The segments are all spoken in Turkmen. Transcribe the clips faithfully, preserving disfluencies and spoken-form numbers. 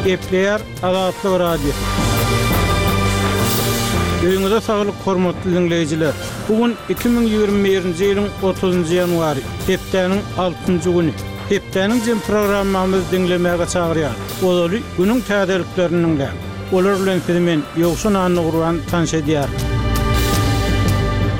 Gepleýär Azatlyk Radiosy. Öýüňize saglyk hormatly dinleýjiler. Bu gün iki müň ýigrimi birinji ýylyň otuzynjy ýanwary, hepdäniň altynjy güni. Hepdäniň jem programmamyzy diňlemäge çagyrýar. Ozaly günüň täzeliklerini diňläň. Olar bilen sizi men Ýowşan Annagurban tanyş edýärin.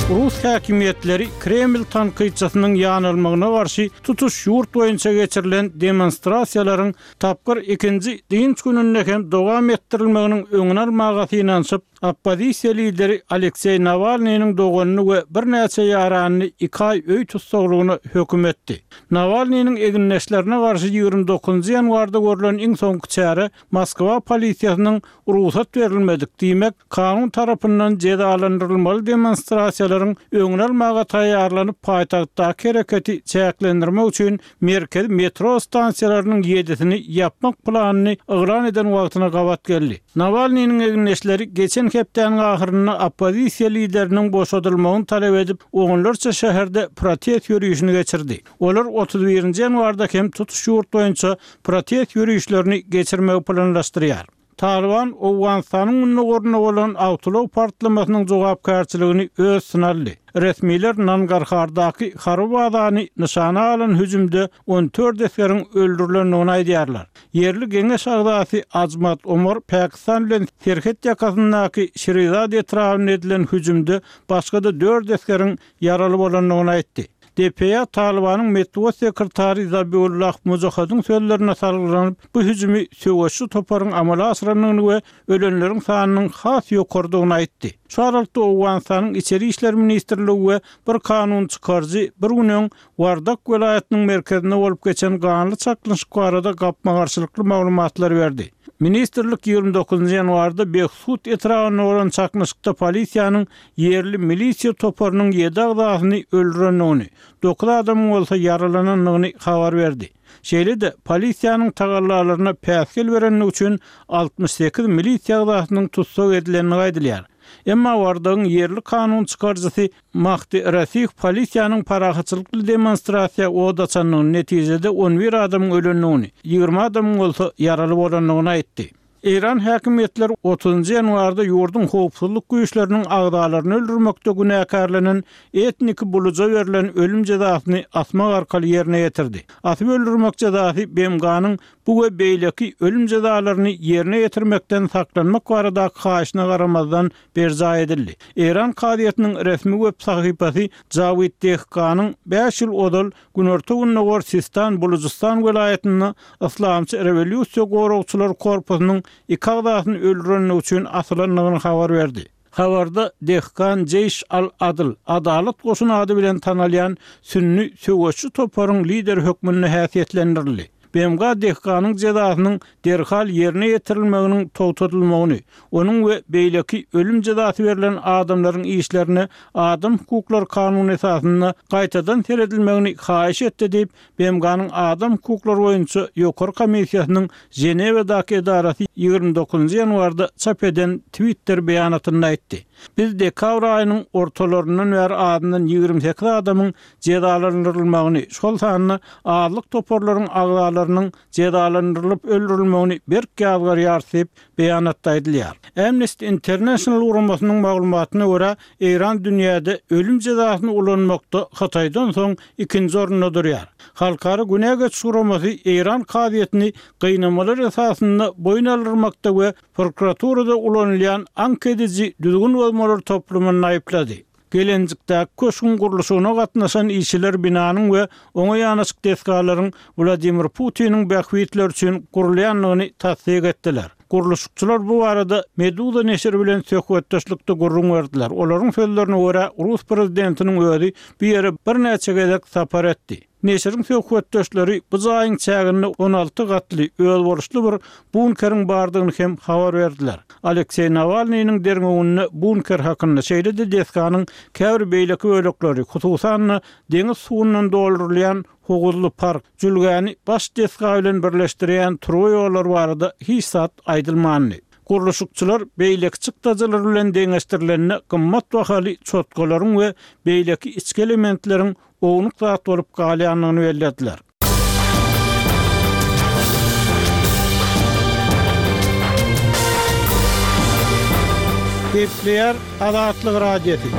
Rus häkimiýetleri Kreml tankytçysynyň ýanalmagyna garşy tutuş ýurt boýunça geçirilen demonstrasiýalaryň tapgyr ikinji dynç gününde hem dowam etdirilmeginiň öňüni almaga synanyşyp, oppozisiýa lideri Alekseý Nawalnynyň doganyny we birnäçe ýaranyny iki aý öý tussaglygyna höküm etdi. Nawalnynyň egindeşlerine garşy ýigrimi dokuzynjy ýanwarda görlen iň soňky çäre Moskwa polisiýasynyň rugsat berilmedik, diýmek, kanun tarapyndan jezalandyrylmaly demonstrasiýalaryň öňüni almaga taýýarlanyp, paýtagtdaky hereketi çäklendirmek üçin merkezi metro stansiýalarynyň ýedisini ýapmak planyny yglan eden wagtyna gabat geldi. Nawalnynyň egindeşleri geçen hepdäniň ahyrynda oppozisiýa lideriniň boşadylmagyny talap edip, onlarça şäherde protest ýörişini geçirdi. Olar otuz birinji ýanwarda hem tutuş ýurt boýunça protest ýörişlerini geçirmegi planlaşdyrýar. Talyban Owganystanyň gündogarynda bolan awtoulag partlamasynyň jogapkärçiligini öz üstüne aldy. Resmiler Nangarhardaky harby bazany nyşana alan hüjümde on dört esgeriň öldürilendigini aýdýarlar. Ýerli geňeş agzasy Ajmat Omar Pakistan bilen serhet ýakasyndaky Şirizad etrabynda edilen hüjümde başga-da dört esgeriň ýaraly bolandygyny aýtdy. D P A Talybanyň metbugat sekretary Zabiullah Mujahidiň sözlerine salgylanyp, bu hüjümi söweşçi toparyň amala aşyrandygyny we ölenleriň sanynyň has ýokardygyny aýtdy. Şu aralykda Owganystanyň Içeri işler ministrligi we bir kanun çykaryjy bir gün öň Wardak welaýatynyň merkezinde bolup geçen ganly çaknyşyk barada gapma-garşylykly maglumatlar berdi. Ministrlik ýigrimi dokuzynjy ýanwarda Behsud etrabynda bolan çaknyşykda polisiýanyň ýerli milisiýa toparynyň ýedi agzasyny öldürendigini, dokuz adamyň bolsa ýaralanandygyny habar berdi. Şeýle-de polisiýanyň tagallalaryna päsgel berendigi üçin altmyş sekiz milisiýa agzasynyň tussag edilendigi aýdylýar. Emma Wardagyň ýerli kanun çykaryjysy Mahdi Rasih polisiýanyň parahatçylykly demonstrasiýa od açandygyny, netijede on bir adamyň ölendigini, ýigrimi adamyň bolsa ýaraly bolandygyny aýtdy. Eýran häkimiýetleri otuzynjy ýanwarda ýurduň howpsuzlyk güýçleriniň agzalaryny öldürmekde günäkärlenen etnik buluja berlen ölüm jezasyny asmak arkaly ýerine ýetirdi. Asyp öldürmek jezasy B M G-nyň bu we beýleki ölüm jezalaryny ýerine ýetirmekden saklanmak baradaky haýyşyna garamazdan berjaý edildi. Eýran kazyýetiniň resmi web sahypasy Jawid Dehkanyň bäş ýyl ozal Günorta Gündogar Sistan Bulujystan welaýatynda Islamçy rewolýusiýa goragçylar korpusynyň iki agzasyny öldürendigi üçin asylandygyny habar berdi. Habarda Dehkan Jeýş al-Adl, Adalat goşuny ady bilen tanalýan sünni söweşçi toparyň lideri hökmünde häsiýetlendirildi. B M G Dehkanyň jezasynyň derhal ýerine ýetirilmeginiň togtadylmagyny, onuň we beýleki ölüm jezasy berlen adamlaryň işlerine adam hukuklary kanuny esasynda gaýtadan seredilmegini haýyş etdi diýip, B M G-nyň adam hukuklary boýunça ýokary komissiýasynyň Ženewadaky edarasy ýigrimi dokuzynjy ýanwarda çap eden Twitter beýanatynda aýtdy. Biz dekabr aýynyň ortalaryndan bäri azyndan ýigrimi sekiz adamyň jezalandyrylmagyny, şol sanda azlyk toparlaryň agzalarynyň jezalandyrylyp öldürilmegini berk ýazgarýar diýip beýanatda aýdylýar. Amnesty International guramasynyň maglumatyna görä, Eýran dünýäde ölüm jezasyny ulanmakda Hytaýdan soň ikinji orunda durýar. Halkara günä geçiş guramasy Eýran kazyýetini gynamalar esasynda boýun aldyrmakda we prokuraturada ulanylýan aňk ediji düzgün bozmalar toplumyny aýyplady. Gelenjikdäki köşgüň gurluşygyna gatnaşan işçiler binanyň we oňa ýanaşyk desgalaryň Wladimir Putiniň bähbitleri üçin gurulýandygyny tassyk etdiler. Gurluşykçylar bu barada Meduza neşiri bilen söhbetdeşlikde gürrüň berdiler. Olaryň sözlerine görä, Rus prezidentiniň özi bu ýere birnäçe gezek sapar etdi. Neşiriň söhbetdeşleri bu jaýyň çäginde on alty gatly özboluşly bir bunkeriň bardygyny hem habar berdiler. Alekseý Nawalnynyň derňewinde bunker hakynda, şeýle-de desganyň käbir beýleki bölekleri, hususan-da deňiz suwundan doldurylýan howuzly park, jülgäni baş desga bilen birleşdirýän turba ýollar barada hiç zat aýdylmandy. Gurluşykçylar beýleki çykdajylar bilen deňeşdirilende gymmat bahaly çotgalaryň we beýleki içki elementleriň ownuk zat bolup galýandygyny bellediler. Gepleýär Azatlyk Radiosy.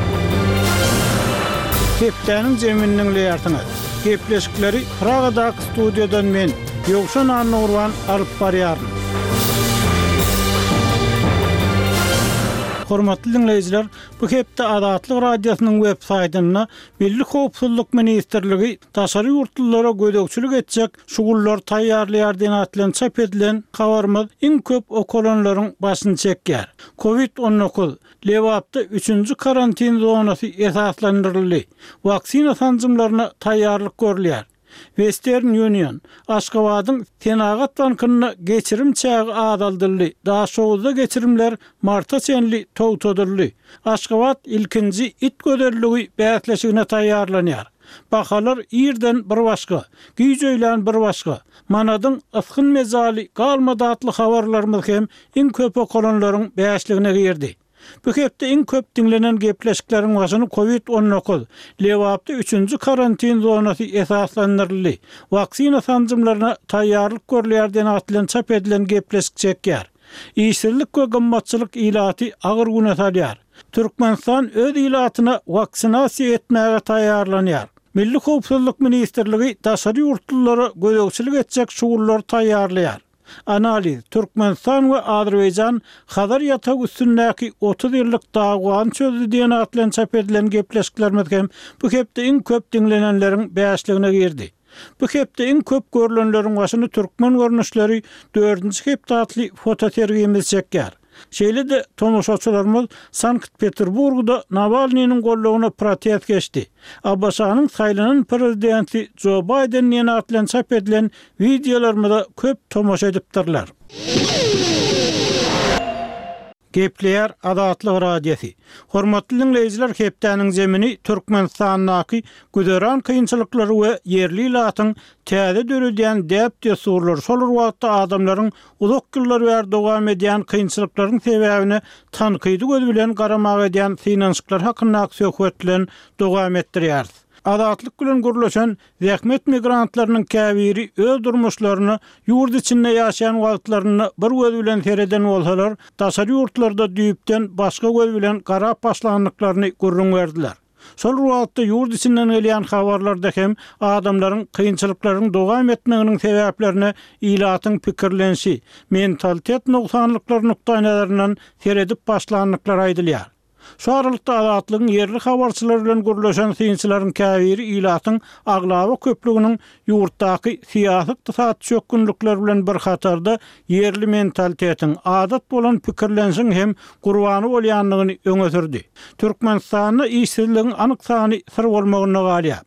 Hepdäniň jemini diňleýärsiňiz. Gepleşikleri Pragadaky studiýadan men, Ýowşan Annagurban alyp barýaryn. Hormatly diňleýjiler, bu hepde Azatlyk Radiosynyň web saýtynda Milli howpsuzlyk ministrligi daşary ýurtlulara gözegçilik etjek şugullar taýýarlaýar diýen at bilen çap edilen habarymyz iň köp okalanlaryň başyny çekýär. Covid on dokuz, Lebapda üçünji karantin zonasy esaslandyryldy. Waksina sanjymlaryna taýýarlyk görülýär. Western Union, Aşgabadyň Senagat bankynda geçirim çägi azaldyldy. Daşoguzda geçirimler marta çenli togtadyldy. Aşgabat ilkinji it gözelligi bäsleşigine taýýarlanýar. Bahalar irden bir başga, güýç öýlän bir başga. Manadyň ysgyn mezaly galmady atly habarlarymyz hem iň köp okalanlaryň bäşligine girdi. Bu hepde iň köp diňlenen gepleşikleriň başyny Covid on dokuz, Lebapda üçünji karantin zonasy esaslandyryldy. Waksina sanjymlaryna taýýarlyk görülýär diýen at bilen çap edilen gepleşik çekýär. Işsizlik we gymmatçylyk ilaty agyr güne salýar. Türkmenistan öz ilatyna waksinasiýa etmäge taýýarlanýar. Milli howpsuzlyk ministrligi daşary ýurtlulara gözegçilik etjek şugullar taýýarlaýar. Analiz, Türkmenistan we Azerbaýjan Hazar ýatagy üstündäki otuz ýyllyk dawany çözdü diýen at bilen çap edilen gepleşiklerimiz hem bu hepde iň köp diňlenenleriň bäşligine girdi. Bu hepde iň köp görülenleriň başyny türkmen görnüşleri dördünji hepde atly fotosergimiz çekýär. Şeýle-de tomaşaçylarymyz Sankt-Peterburgda Nawalnynyň gollugyna protest geçdi. A B Ş-nyň saýlanan prezidenti Joe Biden diýen at bilen çap edilen wideolarymyza köp tomaşa edipdirler. Gepleýär Azatlyk Radiosy. Hormatly diňleýjiler, hepdäniň zemini Türkmenistandaky güzeran kynçylyklary we ýerli ilatyň täze döredýän däp-dessurlary şol bir wagtda adamlaryň uzak ýyllar bäri dowam edýän kynçylyklaryň sebäbine tankydy göz bilen garamaga edýän synanyşyklar hakyndaky söhbet bilen dowam etdirýäris. Azatlyk bilen gürleşen zähmet migrantlarynyň käbiri öz durmuşlaryny ýurt içinde ýaşaýan wagtlarynda bir göz bilen sereden bolsalar, daşary ýurtlarda düýpden başga göz bilen garap başlandyklaryny gürrüň berdiler. Şol wagtda ýurt içinden gelýän habarlarda hem adamlaryň kynçylyklaryň dowam etmeginiň sebäplerine ilatyň pikirlenişi, mentalitet nogsanlyklary nukdaýnazaryndan seredip başlandyklary aýdylýar. Şu aralykda Azatlygyň ýerli habarçylary bilen gürleşen synçylaryň käbiri ilatyň aglaba köplüginiň ýurtdaky syýasy ykdysady çökgünlikler bilen bir hatarda ýerli mentalitetiň, adat bolan pikirlenişiň hem gurbany bolýandygyny öňe sürdi. Türkmenistanda işsizligiň anyk sany syr bolmagyna galýar.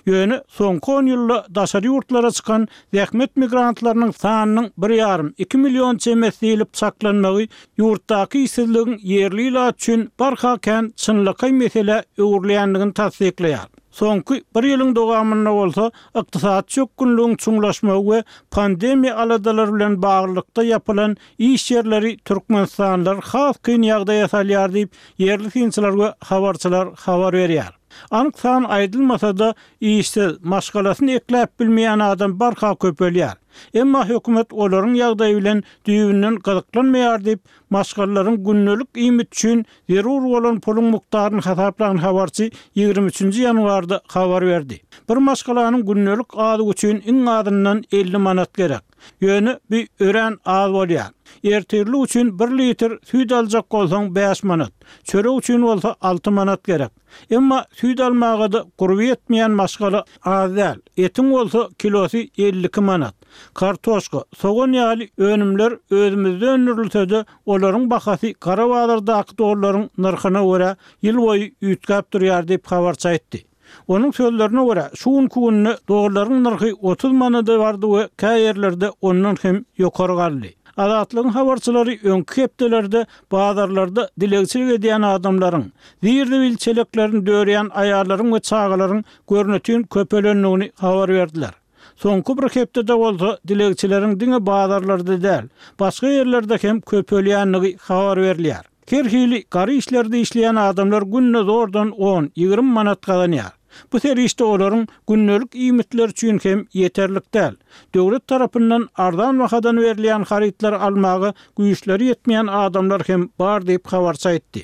Ýöne soňky on ýylda daşary ýurtlara çykan zähmet migrantlarynyň sanynyň bir ýarym, iki million çemesi diýlip çaklanmagy ýurtdaky işsizligiň ýerli ilat üçin barha kän çynlakaý mesele öwrülýändigini tassyklaýar. Soňky bir ýylyň dowamynda bolsa ykdysady çökgünligiň çuňlaşmagy we pandemiýa aladalary bilen baglylykda ýapylan iş ýerleri Türkmenistanlylar has kyn ýagdaýa salýar diýip ýerli synçylar we habarçylar habar berýär. Anyk san aýdylmasa-da işsiz, maşgalasyny ekläp bilmeýän adam barha köpelýär. Emma hökümet olaryň ýagdaýy bilen düýbünden gyzyklanmaýar diýip, maşgalalaryň gündelik iýmit üçin zerur bolan puluň mukdaryny hasaplan habarçy ýigrimi üçünji ýanwarda habar berdi. Bir maşgalanyň gündelik azygy üçin iň azyndan elli manat gerek. Ýöne bu örän az bolýar. Ertirlik üçin bir litr süýt aljak bolsaň bäş manat, çörek üçin bolsa alty manat gerek. Emma süýt almaga-da gurby ýetmeýän maşgala az däl. Etiň bolsa kilosy elli iki manat. Kartoşka, sogan ýaly önümler özümizde öndürilse-de, olaryň bahasy gara bazardaky dollaryň nyrhyna görä ýyl boýy üýtgäp durýar diýip habarçy aýtdy. Onuň sözlerine görä, şu günki günde dollaryň nyrhy otuz manada bardy we kä ýerlerde ondan hem ýokary galdy. Azatlygyň habarçylary öňki hepdelerde bazarlarda dilegçilik edýän adamlaryň, zir-zibil çeleklerini dörýän aýallaryň we çagalaryň görnütin köpelendigini habar berdiler. Soňky bir hepdede bolsa dilegçileriň diňe bazarlarda däl, başga ýerlerde hem köpelýändigi habar berilýär. Her hili gary işlerde işleýän adamlar günde zordan on, ýigrimi manat gazanýar. Bu serişde olaryň gündelik iýmitleri üçin hem ýeterlik däl. Döwlet tarapyndan arzan bahadan berilýän harytlary almaga güýçleri ýetmeýän adamlar hem bar diýip, habarçy aýtdy.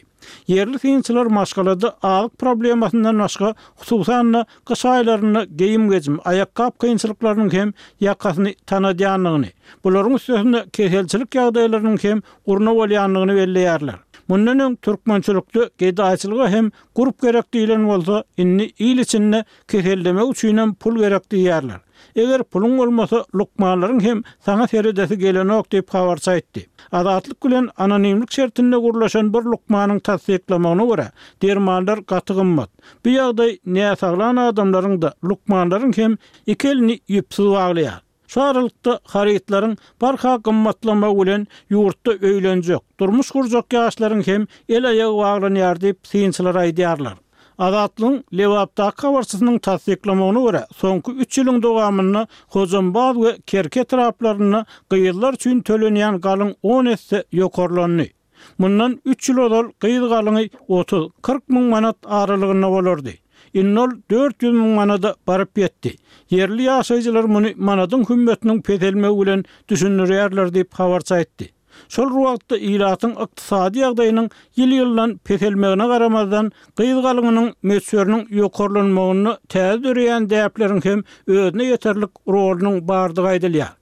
Ýerli synçylar maşgalada azyk problemasyndan başga, hususan-da, gyş aýlarynda geýim-gejim, aýakgap kynçylyklarynyň hem ýakasyny tanadýandygyny, bularyň üstesine keselçilik ýagdaýlarynyň hem gurna bolýandygyny belleýärler. Mundan öň türkmençilikde gedaýçylyga hem gurp gerek diýlen bolsa, indi il içinde kesellemek üçinem pul gerek diýýärler. Eger puluň bolmasa, lukmanlaryň hem saňa seredesi gelenok diýip, habarçy aýtdy. Azatlyk bilen anonimlik şertinde gürleşen bir lukmanyň tassyklamagyna görä, dermanlar gaty gymmat. Bu ýagdaý näsaglan adamlaryň-da, lukmanlaryň hem iki elini ýüpsüz baglaýar. Şu aralykda, harytlaryň barha gymmatlamagy bilen ýurtda öýlenjek, durmuş gurjak ýaşlaryň hem el-aýagy baglanýar diýip, synçylar aýdýarlar. Azatlygyň Lebapdaky habarçysynyň tassyklamagyna görä, soňky üç ýylyň dowamynda Hojambaz we Kerki etraplarynda gyzlar üçin tölenýän galyň on esse ýokarlandy. Mundan üç ýyl ozal gyz galyňy otuz, kyrk müň manat aralygynda bolardy. Indi ol dört ýüz müň manada baryp ýetdi. Ýerli ýaşaýjylar muny manadyň hümmetiniň peselmegi bilen düşündirýärler diýip, habarçy aýtdy. Şol bir wagtda, ilatyň ykdysady ýagdaýynyň ýyl-ýyldan peselmegine garamazdan, gyz galyňynyň möçberiniň ýokarlanmagynda täze döreýän däpleriň hem özüne ýeterlik rolunyň bardygy aýdylýar.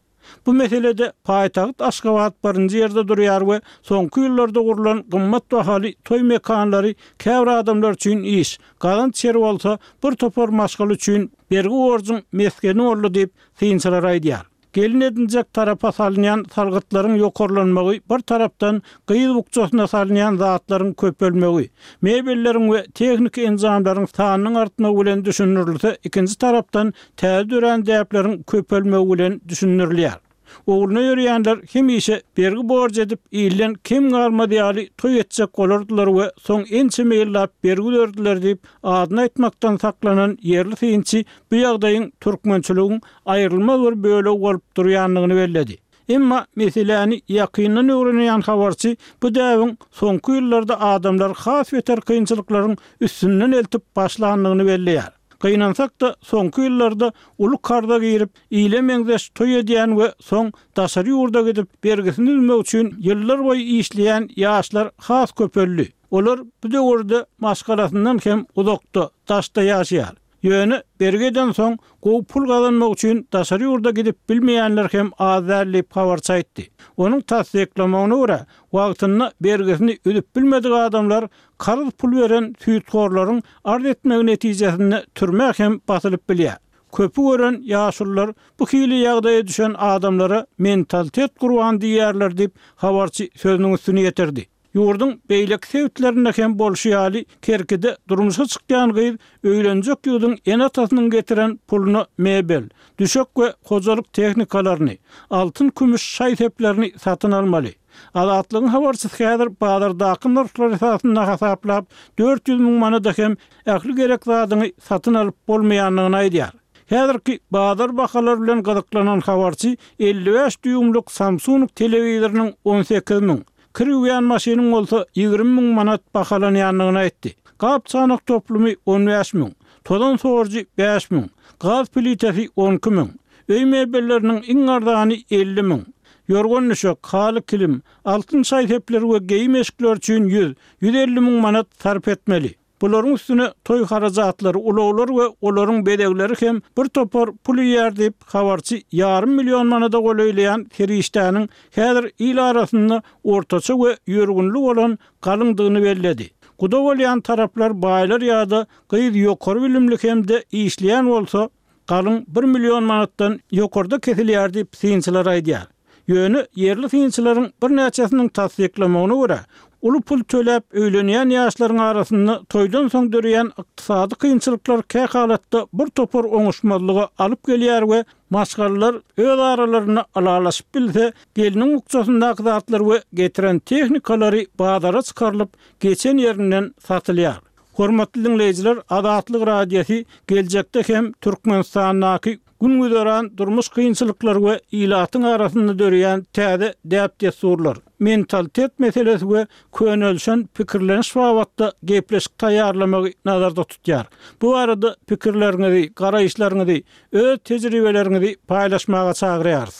Bu meselede paýtagt Aşgabat birinji ýerde durýar we soňky ýyllarda gurlan gymmat bahaly toý mekanlary käbir adamlar üçin iş, gazanç ýeri bolsa, bir topar maşgala üçin bergi-borjuň mesgeni boldy diýip, synçylar aýdýar. Gelin edinjek tarapa salynýan salgytlaryň ýokarlanmagy bir tarapdan gyz bukjasyna salynýan zatlaryň köpelmegi, mebelleriň we tehniki enjamlaryň sanynyň artmagy bilen düşündirilse, ikinji tarapdan täze dörän däpleriň köpelmegi bilen düşündirilýär. Ugruna ýörýänler hemişe bergi-borç edip, ilden kem galmaz ýaly toý etjek bolardylar we soň ençeme ýyllap bergi üzerdiler diýip, adyny aýtmakdan saklanan ýerli synçy bu ýagdaýyň türkmençiligiň aýrylmaz bir bölegi bolup durýandygyny belledi. Emma meseläni ýakyndan öwrenýän habarçy bu däbiň soňky ýyllarda adamlary has beter kynçylyklaryň üstünden eltip başlandygyny belleýär. Gynansak-da, soňky ýyllarda uly karza girip, ile meňzeş toý edýän we soň daşary ýurda gidip, bergisini üzmek üçin ýyllar boýy işleýän ýaşlar has köpeldi. Olar bu döwürde maşgalasyndan hem uzakda, daşda ýaşaýar. Ýöne bergi edensoň, gowy pul gazanmak üçin daşary ýurda gidip bilmeýänler hem az däl diýip, habarçy aýtdy. Onuň tassyklamagyna görä, wagtynda bergisini üzüp bilmedik adamlar karz pul beren süýthorlaryň arz etmegi netijesinde türmä hem basylyp bilýär. Köpi gören ýaşulular bu hili ýagdaýa düşen adamlara mentalitet gurbany diýýärler diýip, habarçy sözüniň üstüni ýetirdi. Ýurduň beýleki sebitlerinde hem bolşy ýaly, Kerkide durmuşa çykýan gyz öýlenjek ýigidiň ene-atasynyň getiren puluna mebel, düşek we hojalyk tehnikalaryny, altyn-kümüş şaý-seplerini satyn almaly. Azatlygyň habarçysy häzir bazardaky nyrhlar esasynda hasaplap, dört ýüz müň manada hem ähli gerek zadyňy satyn alyp bolmaýandygyny aýdýar. Häzirki bazar bahalary bilen gyzyklanan habarçy elli bäş dýuýmlyk Samsung telewizorynyň on sekiz müň, kir ýuwýan maşynyň bolsa ýigrimi müň manat bahalanýandygyny aýtdy. Gap-çanak toplumy on bäş müň, tozan sorujy bäş müň, gaz plitesi on iki müň, öý mebelleriniň iň arzany elli müň, ýorgan-düşek, haly-kilim, altyn şaý-sepler we geýim-eşikler üçin ýüz, ýüz elli müň manat sarp etmeli. Bularyň üstüne toý harajatlary, ulaglar we olaryň bezegleri hem bir topar pul iýýär diýip, habarçy ýarym million manada golaýlaýan serişdäniň häzir il arasynda ortaça we ýörgünli bolan galyňdygyny belledi. Guda bolýan taraplar baýlar ýa-da gyz ýokary bilimli hem-de işleýän bolsa, galyň bir million manatdan ýokarda kesilýär diýip, synçylar aýdýar. Ýöne ýerli synçylaryň birnäçesiniň tassyklamagyna görä, uly pul töläp öýlenýän ýaşlaryň arasynda toýdan soň döreýän ykdysady kynçylyklar kähalatda bir topar oňuşmazlyga alyp gelýär we maşgalalar öz aralarynda ylalaşyp bilse, gelniň bukjasyndaky zatlar we getiren tehnikalary bazara çykarylyp, geçen ýerinden satylýar. Hormatly diňleýjiler, Azatlyk Radiosy geljekde hem Türkmenistandaky gün-güzeran durmuş kynçylyklary we ilatyň arasynda döreýän täze däp-dessurlar, mentalitet meselesi we könelişen pikirleniş babatda gepleşik taýýarlamagy nazarda tutýar. Bu barada pikirleriňizi, garaýyşlaryňyzy, öz tejribeleriňizi paýlaşmaga çagyrýarys.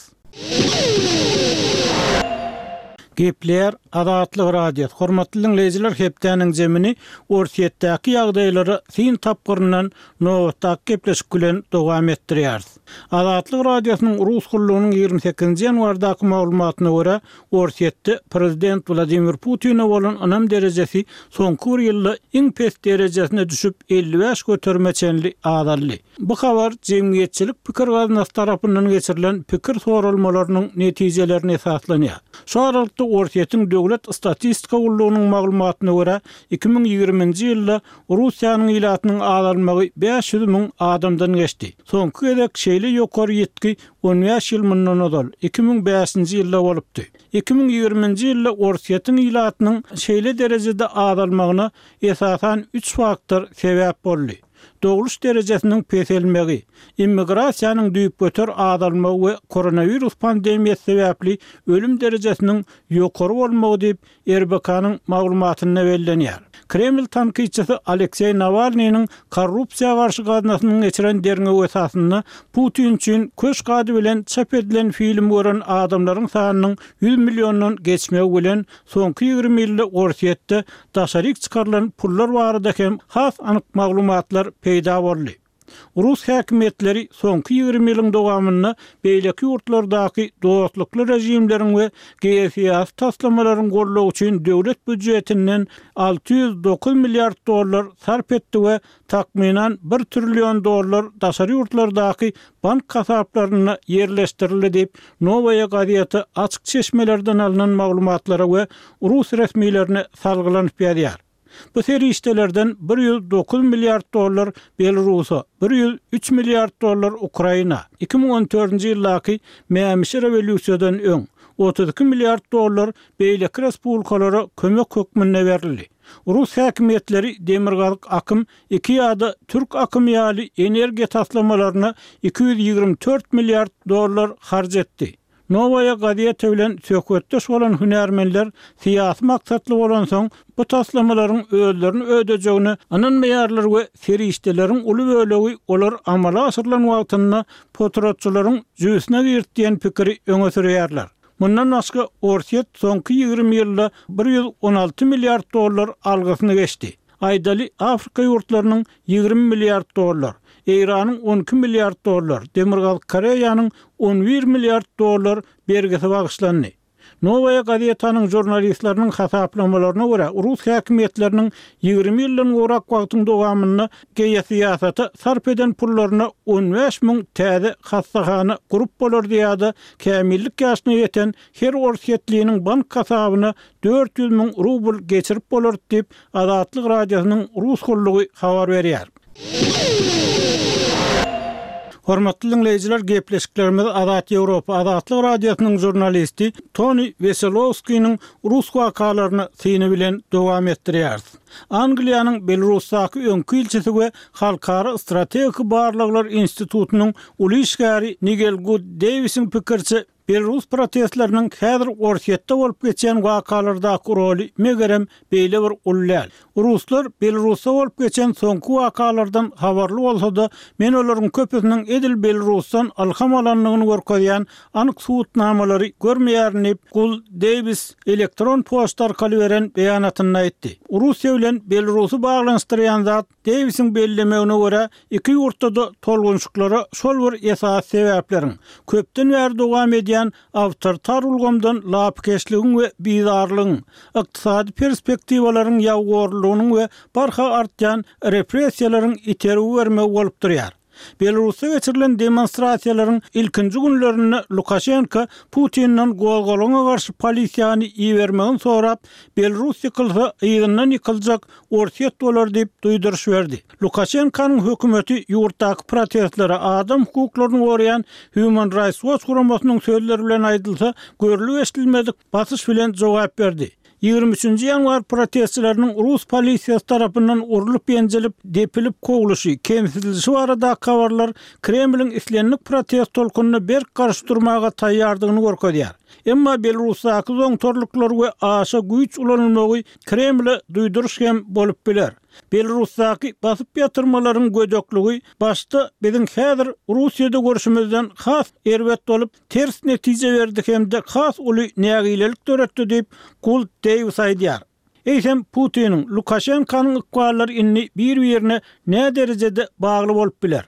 Gepleýär Azatlyk Radiosy. Hormatly diňleýjiler, hepdäniň jemini Orsýetdäki ýagdaýlara syn tapgyryndan nobatdaky gepleşik bilen dowam etdirýäris. Azatlyk Radiosynyň Rus gullugynyň ýigrimi sekizinji ýanwardaky maglumatyna görä, Orsýetde prezident Wladimir Putine bolan ynam derejesi soňky bir ýylda iň pes derejesine düşüp, elli bäş göterime çenli azaldy. Bu habar jemgyýetçilik pikir gaznasy tarapyndan geçirilen pikir soralmalarynyň netijelerine esaslanýar. Şu aralykda Orsýetiň Döwlet statistika gullugynyň maglumatyna görä, iki müň ýigriminji ýylda Russiýanyň ilatynyň azalmagy bäş ýüz müň adamdan geçdi. Soňky gezek şeýle ýokary ýitgi on bäş ýyl mundan ozal, iki müň bäşinji ýylda bolupdy. Iki müň ýigriminji ýylda Orsýetiň ilatynyň şeýle derejede azalmagyna esasan üç faktor sebäp boldy. Dogluş derejesiniň peselmegi, immigrasiýanyň düýpgöter azalmagy we koronawirus pandemiýasy sebäpli ölüm derejesiniň ýokary bolmagy diýip, R B K-nyň maglumatynda bellenýär. Kreml tankytçysy Alekseý Nawalnynyň korrupsiýa garşy gaznasynyň geçiren derňewi esasynda Putin üçin köşk ady bilen çap edilen film gören adamlaryň sanynyň ýüz milliondan geçmegi bilen soňky ýigrimi ýylda Orsýetde daşaryk çykarylan pullar barada hem has anyk maglumatlar peýda boldy. Rus häkimiýetleri soňky ýigrimi ýylyň dowamynda beýleki ýurtlardaky dostlukly režimleriň we geosyýasy taslamalaryň goldawy üçin döwlet býudjetinden alty ýüz dokuz milliard dollar sarp etdi we takmynan bir trillion dollar daşary ýurtlardaky bank hasaplaryna ýerleşdirildi diýip, Nowaýa gazeti açyk çeşmelerden alynan maglumatlara we rus resmilerine salgylanyp ýazýar. Bu serişdelerden bir ýüz dokuz milliard dollar Belarusa, bir ýüz üç milliard dollar Ukraina, iki müň on dördünji ýyldaky Mämişi rewolýusiýadan öň otuz iki milliard dollar beýleki respublikalara kömek hökmünde berildi. Rus häkimiýetleri Demirgazyk akym iki ýa-da Türk akymy ýaly energiýa taslamalaryna iki ýüz ýigrimi dört milliard dollar harç etdi. Nowaýa gazeti bilen söhbetdeş bolan hünärmenler syýasy maksatly bolansoň bu taslamalaryň özlerini ödejegine ynanmaýarlar we serişdeleriň uly bölegi olar amala aşyrylan wagtynda potratçylaryň jübüsine girdi diýen pikiri öňe sürýärler. Mundan başga Orsýet soňky ýigrimi ýylda bir ýüz on alty milliard dollar algysyny geçdi. Aýdaly Afrika ýurtlarynyň ýigrimi milliard dollar, Eýranyň on iki milliard dollar, Demirgazyk Koreýanyň on bir milliard dollar bergisi bagyşlandy. Nowaýa gazetanyň žurnalistleriniň hasaplamalaryna görä, Rus häkimiýetleriniň ýigrimi ýyldan gowrak wagtyň dowamynda geosyýasata sarp eden pullaryna on bäş müň täze hassahana gurup bolardy ýa-da kämillik ýaşyna ýeten her orsýetliniň bank hasabyna dört ýüz müň rubl geçirip bolardy diýip, Azatlyk Radiosynyň Rus gullugy habar berýär. Hormatly diňleýjiler, gepleşiklerimiz Azat Ýewropa Azatlyk Radiosynyň žurnalisti Toni Weselowskiniň rus wakalaryna syny bilen dowam etdirýäris. Angliýanyň Belarusdaky öňki ilçisi we Halkara strategik barlaglar institutynyň uly işgäri Nigel Good Dewisiň pikiriçe, Belarus protestleriniň häzir Orsýetde bolup geçýän wakalardaky roly megerem beýle bir uly däl. Ruslar Belarusda bolup geçen soňky wakalardan habarly bolsa-da, men olaryň köpüsiniň edil Belarusdan ylham alandygyny görkezýän anyk subutnamalary görmeýärin diýip, Gul Dewis elektron poçta arkaly beren beýanatynda aýtdy. Russiýa bilen Belarusy baglanyşdyrýan zat Dewisiň bellemegine görä, iki ýurtda-da tolgunşyklara şol bir esas sebäpleriň, köpden bäri dowam edýän awtoritar ulgamdan lapykeçligiň we bizarlygyň, ykdysady perspektiwalaryň ýagorlugynyň we barha artýan repressiýalaryň itergi bermegi bolup durýar. Belarusda geçirilen demonstrasiýalaryň ilkinji günlerinde Lukaşenko Putinden gozgalaňa garşy polisiýany ibermegini sorap, Belarus ýykylsa yzyndan ýykyljak Orsýet bolar diýip duýduryş berdi. Lukaşenkonyň hökümeti ýurtdaky protestlere adam hukuklaryny goraýan Human Rights Watch guramasynyň sözleri bilen aýdylsa, görlüp eşidilmedik basyş bilen jogap berdi. Ýigrimi üçünji ýanwar protestçileriniň rus polisiýasy tarapyndan urlup-ýenjilip, depilip kowluşy, kemsidilişi baradaky habarlar Kremliň islendik protest tolkunyna berk garşy durmaga taýýardygyny görkezýär. Emma Belarusdaky zoňtarlyklar we aşa güýç ulanylmagy Kremle duýduryş hem bolup biler. Belarusdaky basyp ýatyrmalaryň gödekligi başda biziň häzir Russiýada görşümizden has erbet bolup, ters netije berdi hem-de has uly nägilelik döretdi diýip, Kult Deýwis aýdýar. Eýsem, Putiniň, Lukaşenkanyň ykballary indi bir-birine näderejede bagly bolup biler?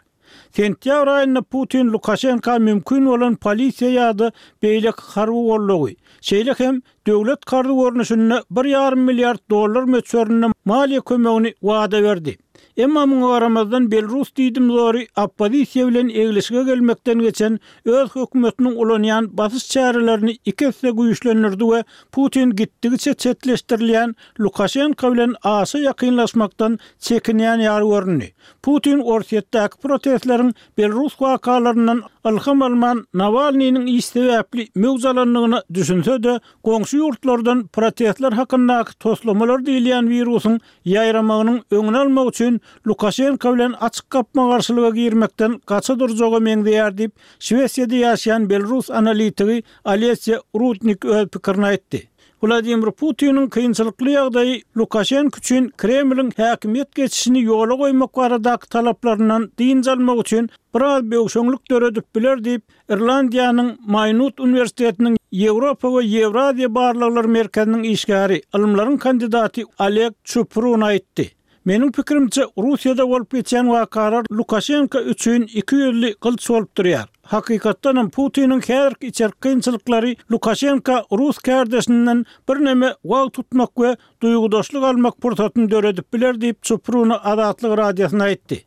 Sentýabr aýynda Putin Lukaşenka mümkin bolan polisiýa ýa-da beýleki harby goldawy, şeýle hem döwlet karzy görnüşinde bir ýarym milliard dollar möçberinde maliýe kömegini wada berdi. Emma muňa garamazdan Belarus diýdimzory oppozisiýa bilen eglişige gelmekden geçen öz hökümetiniň ulanýan basyş çärelerini iki esse güýçlendirdi we Putin gitdigiçe çetleşdirilýän Lukaşenko bilen aşa ýakynlaşmakdan çekinýän ýaly göründi. Putin Orsýetdäki protestleriň Belarus wakalaryndan ylham alman Nawalnynyň iş sebäpli möwç alandygyna düşünse-de, goňşy ýurtlardan protestler hakyndaky toslamalar diýilýän wirusyň ýaýramagynyň öňüni almak üçin Lukaşenko bilen açyk gapma-garşylyga girmekden gaça durjaga meňzeýär diýip, Şwesiýada ýaşaýan belarus analitigi Olesýa Rudnik öz pikirini aýtdy. Wladimir Putiniň kynçylykly ýagdaýy Lukaşenko üçin Kremliň häkimiýet geçişini ýola goýmak baradaky talaplaryndan dynç almak üçin biraz böwşeňlik döredip biler diýip, Irlandiýanyň Maýnut uniwersitetiniň Ýewropa we Ýewraziýa barlaglar merkeziniň işgäri, ylymlaryň kandidaty Oleg Çuprun aýtdy. Meniň pikirimçe, Russiýada bolup geçýän wakalar Lukaşenko üçin iki ýüzli gylyç bolup durýar. Hakykatdanam, Putiniň häzirki içerki kynçylyklary Lukaşenko rus kärdeşinden birneme wagt tutmak we duýgudaşlyk almak pursatyny döredip biler diýip, Çupruna Azatlyk Radiosyna aýtdy.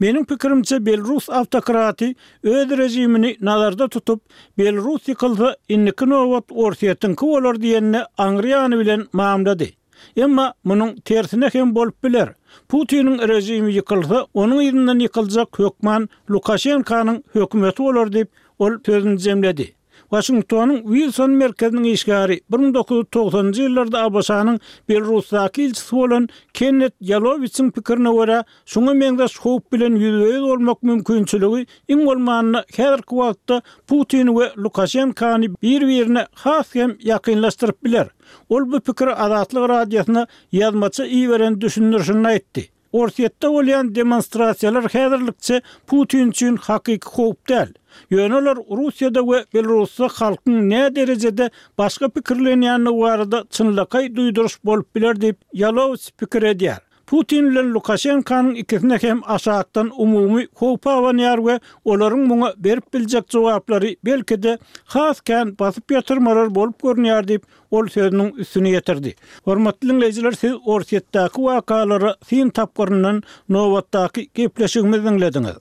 Meniň pikirimçe, belarus awtokraty öz režimini nazarda tutup, Belarus ýykylsa, indiki nobat Orsýetiňki bolar diýenine aňry ýany bilen mamlady. Emma munuň tersine hem bolup biler. Putiniň režimi ýykylsa, onuň yzyndan ýykyljak hökman Lukaşenkanyň hökümeti bolar diýip, ol sözüni jemledi. Waşingtonyň Wilson merkeziniň işgäri, bir müň dokuz ýüz togsanynjy ýyllarda ABŞ-nyň Belarusdaky ilçisi bolan Kennet Ýalowiçiň pikirine görä, şuňa meňzeş howp bilen ýüzbe-ýüz bolmak mümkinçiligi iň bolmanda häzirki wagtda Putini we Lukaşenkany bir-birine has hem ýakynlaşdyryp biler. Ol bu pikiri Azatlyk Radiosyna ýazmaça iberen düşündirişinde aýtdy. Orsýetde bolýan demonstrasiýalar häzirlikçe Putin üçin hakyky howp däl. Ýöne olar Russiýada we Belarusda halkyň näderejede başga pikirlenýändigi barada çynlakaý duýduryş bolup biler diýip, Ýalowiç pikir edýär. Putin bilen Lukaşenkanyň ikisine hem aşakdan umumy howp abanýar we olaryň muňa berip biljek jogaplary belki-de has kän basyp ýatyrmalar bolup görünýär diýip, ol sözüniň üstüni ýetirdi. Hormatly diňleýjiler, siz Orsýetdäki wakalara syn tapgyryndan nobatdaky gepleşigimizi diňlediňiz.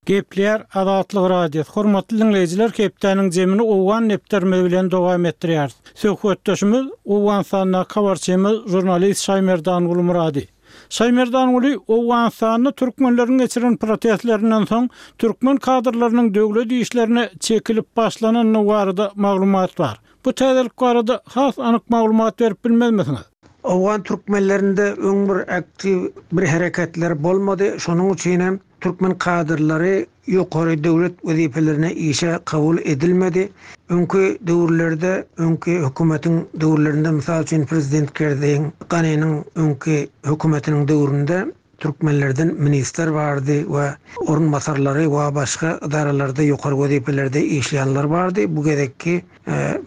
Gepleýär Azatlyk Radiosy. Hormatly diňleýjiler, hepdäniň jemini owgan depderimiz bilen dowam etdirýäris. Söhbetdeşimiz Owganystandaky habarçymyz, žurnalist Şaýmerdan Gulmyrady. Şaýmerdanguly, Owganystanda türkmenleriň geçiren protestlerinden soň türkmen kadrlarynyň döwlet işlerine çekilip başlanandygy barada maglumat bar. Bu täzelik barada has anyk maglumat berip bilmezmisiňiz? Owgan türkmenlerinde öň bir aktiw bir hereketler bolmady, şonuň üçin hem türkmen kadrlary ýokary döwlet wezipelerine işe kabul edilmedi. Öňki döwürlerde, öňki hökümetiň döwürlerinde, mysal üçin prezident Kerzeýiň, Ganiniň öňki hökümetiniň döwründe türkmenlerden ministr bardy we orunbasarlary we başga edaralarda ýokary wezipelerde işleýänler bardy. Bu gezekki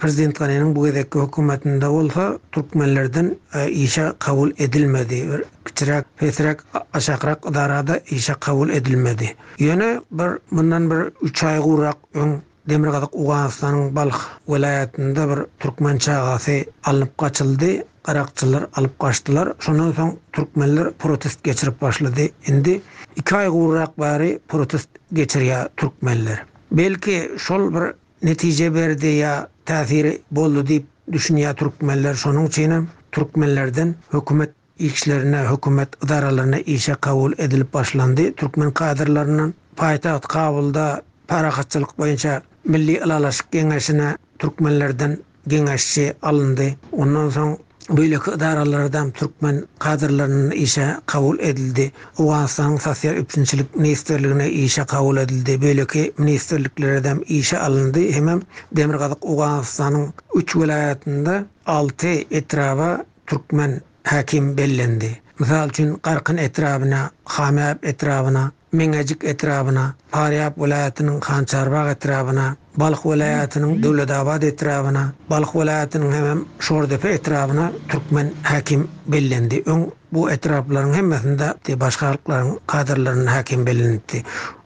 prezident Ganiniň bu gezekki hökümetinde bolsa türkmenlerden işe kabul edilmedi. Bir kiçiräk, pesräk, aşakrak edarada işe kabul edilmedi. Ýöne bir mundan bir üç aý gowrak öň Demirgazyk Owganystanyň Balh welaýatynda bir türkmen çagasy alnyp gaçyldy, garakçylar alyp gaçdylar. Şondan soň türkmenler protest geçirip başlady. Indi iki aý gowrak bäri protest geçirýär türkmenler. Belki şol bir netije berdi ýa täsiri boldy diýip düşünýär türkmenler. Şonuň üçinem türkmenlerden hökümet işlerine, hökümet edaralaryna işe kabul edilip başlandy. Türkmen kadrlaryndan paýtagt Kabulda parahatçylyk boýunça Milli Ylalaşyk Geňeşine türkmenlerden geňeşçi alyndy. Ondan soň beýleki edaralardan türkmen kadrlarynyň işe kabul edildi. Owganystanyň Sosial üpjünçilik ministrligine işe kabul edildi. Beýleki ministrliklerden işe alyndy. Hemem Demirgazyk Owganystanyň üç welaýatynda alty etraba türkmen hakim bellendi. Mysal üçin Garkyn etrabyna, Hamyap etrabyna, Meňejik etrabyna, Farýap welaýatynyň Hançarbag etrabyna, Balh welaýatynyň Döwletabat etrabyna, Balh welaýatynyň hemem Şordepe etrabyna türkmen hakim bellendi. Öň bu etraplaryň hemmesinde başga halklaryň kadrlarynyň hakim bellendi.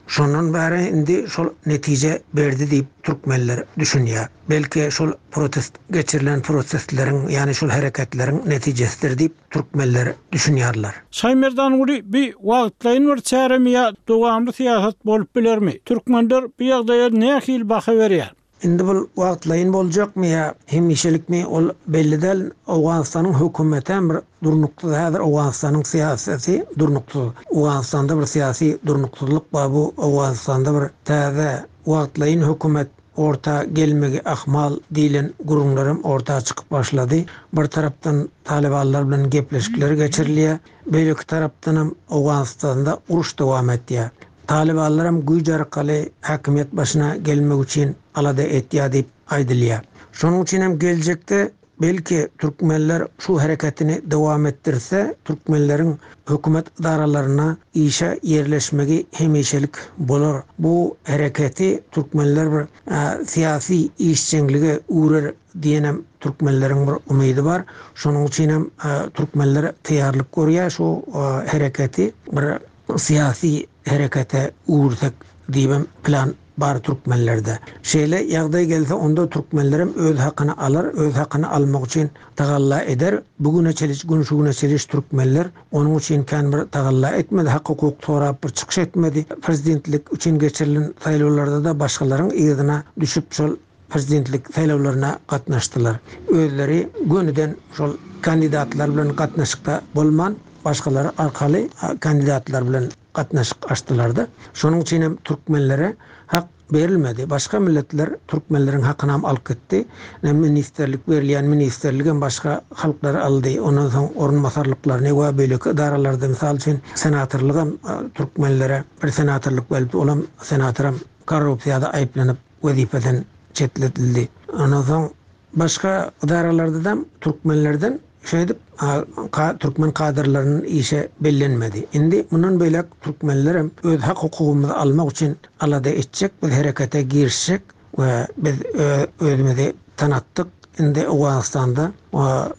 Şondan bäri indi şol netije berdi diýip türkmenler düşünýär. Belki şol protest geçirilen protestleriň, ýani şol hereketleriň netijesidir diýip türkmenler düşünýärler. Şaýmerdanguly bir wagtlaýyn bir çäremi ýa dowamly syýasat bolup bilermi? Türkmenler bu ýagdaýa nähili baha berýär? Indi bu wagtlaýyn boljakmy ýa hemişelikmi ol belli däl. Owganystanyň hökümeti hem bir durnuksyz, häzir Owganystanyň syýasaty durnuksyz. Owganystanda bir syýasy durnuksyzlyk bar. Bu Owganystanda bir täze wagtlaýyn hökümet orta gelmegi ahmal diýlen gürrüňlerim orta çykyp başlady. Bir tarapdan Talibanlar bilen gepleşikler geçirilýär, beýleki tarapdan hem Owganystanda uruş dowam etýär. Talibanlar hem güýç arkaly häkimiýet başyna gelmek üçin alada etýär diýip aýdylýar. Şonuň üçin hem geljekde belki türkmenler şu hereketini dowam etdirse, türkmenleriň hökümet edaralaryna işe ýerleşmegi hemişelik bolar. Bu hereketi türkmenler bir, e, syýasy işjeňlige uğrar diýenem türkmenleriň bir umydy bar. Şonuň üçin hem, e, türkmenler taýýarlyk görýär şu, e, hereketi bir syýasy herekete uğursak diýibem plan bar türkmenlerde. Şeýle ýagdaý gelse onda türkmenlerem öz hakyny alar, öz hakyny almak üçin tagalla eder. Bugüne çeliş, gün şu güne çeliş türkmenler onuň üçin kän bir tagalla etmedi, hak hukuk sorap bir çykyş etmedi. Prezidentlik üçin geçirilen saýlawlarda da başgalaryň yzyna düşüp şol prezidentlik saýlawlaryna gatnaşdylar. Özleri gönüden şol kandidatlar bilen gatnaşykda bolman, başgalar arkaly kandidatlar bilen gatnaşyk açdylar-da. Şonuň üçin hem türkmenlere hak berilmedi. Başga milletler türkmenleriň hakyny hem alyp gitdi. Ne ministerlik berilýän ministerlik hem başga halklar aldy. Ondan soň orunbasarlyklaryny we beýleki edaralarda, mysal üçin senatorlyk hem, e, türkmenlere bir senatorlyk berildi. Olam senator hem korrupsiýada aýyplanyp wezipeden çetletildi. Ondan soň başga edaralarda da türkmenlerden şeýdip, a, ka-, türkmen kadrlarynyň işe bellenmedi. Indi mundan beýlek türkmenler hem öz hak hukugymyzy almak üçin alada etjek, biz herekete girişjek we biz ö-, özümizi tanatdyk. Indi Owganystanda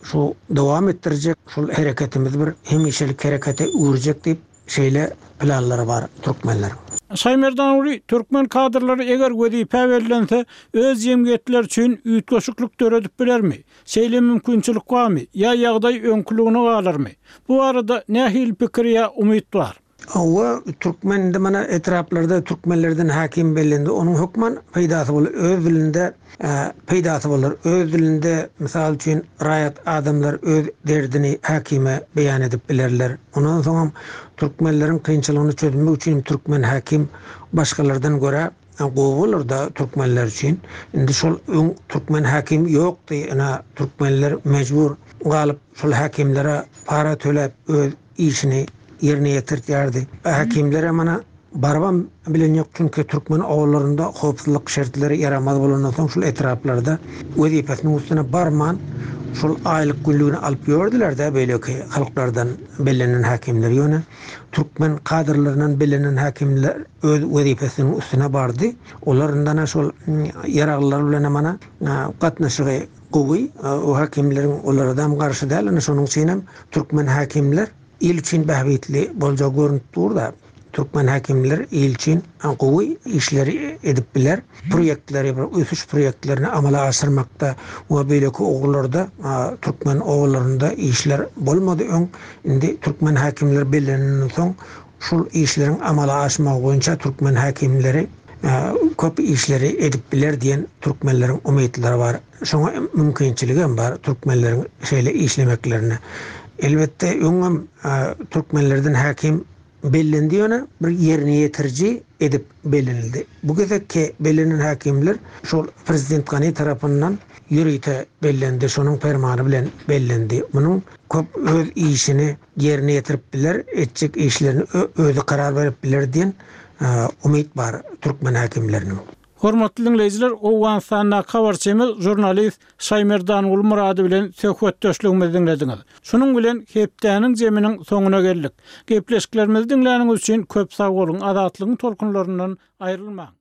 şu dowam etdirjek, şol hereketimiz bir hemişelik herekete uğurjak diýip şeýle planlary bar türkmenleriň. Şaýmerdanguly, türkmen kadrlary eger wezipe bellense, öz jemgyýetler üçin üýtgeşiklik döredip bilermi? Şeýle mümkinçilik barmy? Ýa ýagdaý öňküligine galarmy? Bu arada nähili pikir ýa umyt bar? Hawa, türkmen indi mana etraplarda türkmenlerden hakim bellendi. Onuň hökman peýdasy bolar. Öz dilinde, e, peýdasy bolar. Öz dilinde mysal üçin raýat adamlar öz derdini hakime beýan edip bilerler. Ondan soň türkmenleriň kynçylygyny çözmek üçin türkmen hakim başgalardan görä gowy bolar da türkmenler üçin. Indi şol öň türkmen hakim ýokdy. Ina türkmenler mejbur galyp şol hakimlere para töläp öz işini ýerine ýetirýärdi. Hakimlere mana barybam bilen ýok, çünki türkmen awullarynda howpsuzlyk şertleri ýaramaz bolandan soň şol etraplarda wezipesiniň üstüne barman şol aýlyk günlügini alyp ýördüler-de beýleki halklardan bellenen hakimler. Ýöne türkmen kadrlaryndan bellenen hakimler öz wezipesiniň üstüne bardy. Olaryndan şol ýaraglylar bilen mana gatnaşygy gowy, o hakimleriň olara garşy däl. Ýöne şonuň üçin hem türkmen hakimler il üçin bähbitli bolja görünüp dur da türkmen hakimler il üçin gowy işleri edip biler. Proýektleri, bir ösüş proýektlerini amala aşyrmakda we beýleki ugurlarda, a, türkmen ogullaryndə işler bolmady öň. Indi türkmen hakimler bellenenden soň şul işleriň amala aşmagy boýunça türkmen hakimleri, a, köp işleri edip biler diýen türkmenleriň umytlary bar. Şoňa mümkinçiligi hem bar türkmenleriň şeýle işlemeklerine. Elbetde öňem, a, türkmenlerden hakim bellendi ýöne bir ýerine ýetiriji edip bellenildi. Bu gezekki bellenen häkimler şol prezident Gani tarapyndan ýörite bellendi, şonuň permany bilen bellendi. Munuň köp öz işini ýerine ýetirip biler, etjek işlerini özi karar berip biler diýen umyt bar türkmen häkimleriniň. Hormatly diňleýjiler, Owganystandaky habarçymyz žurnalist Şaýmerdan Gulmurady bilen söhbetdeşligimizi diňlediňiz. Şunuň bilen hepdäniň jeminiň soňuna geldik. Gepleşiklerimizi diňläniňiz üçin köp sag boluň. Azatlygyň tolkunlaryndan aýrylmaň.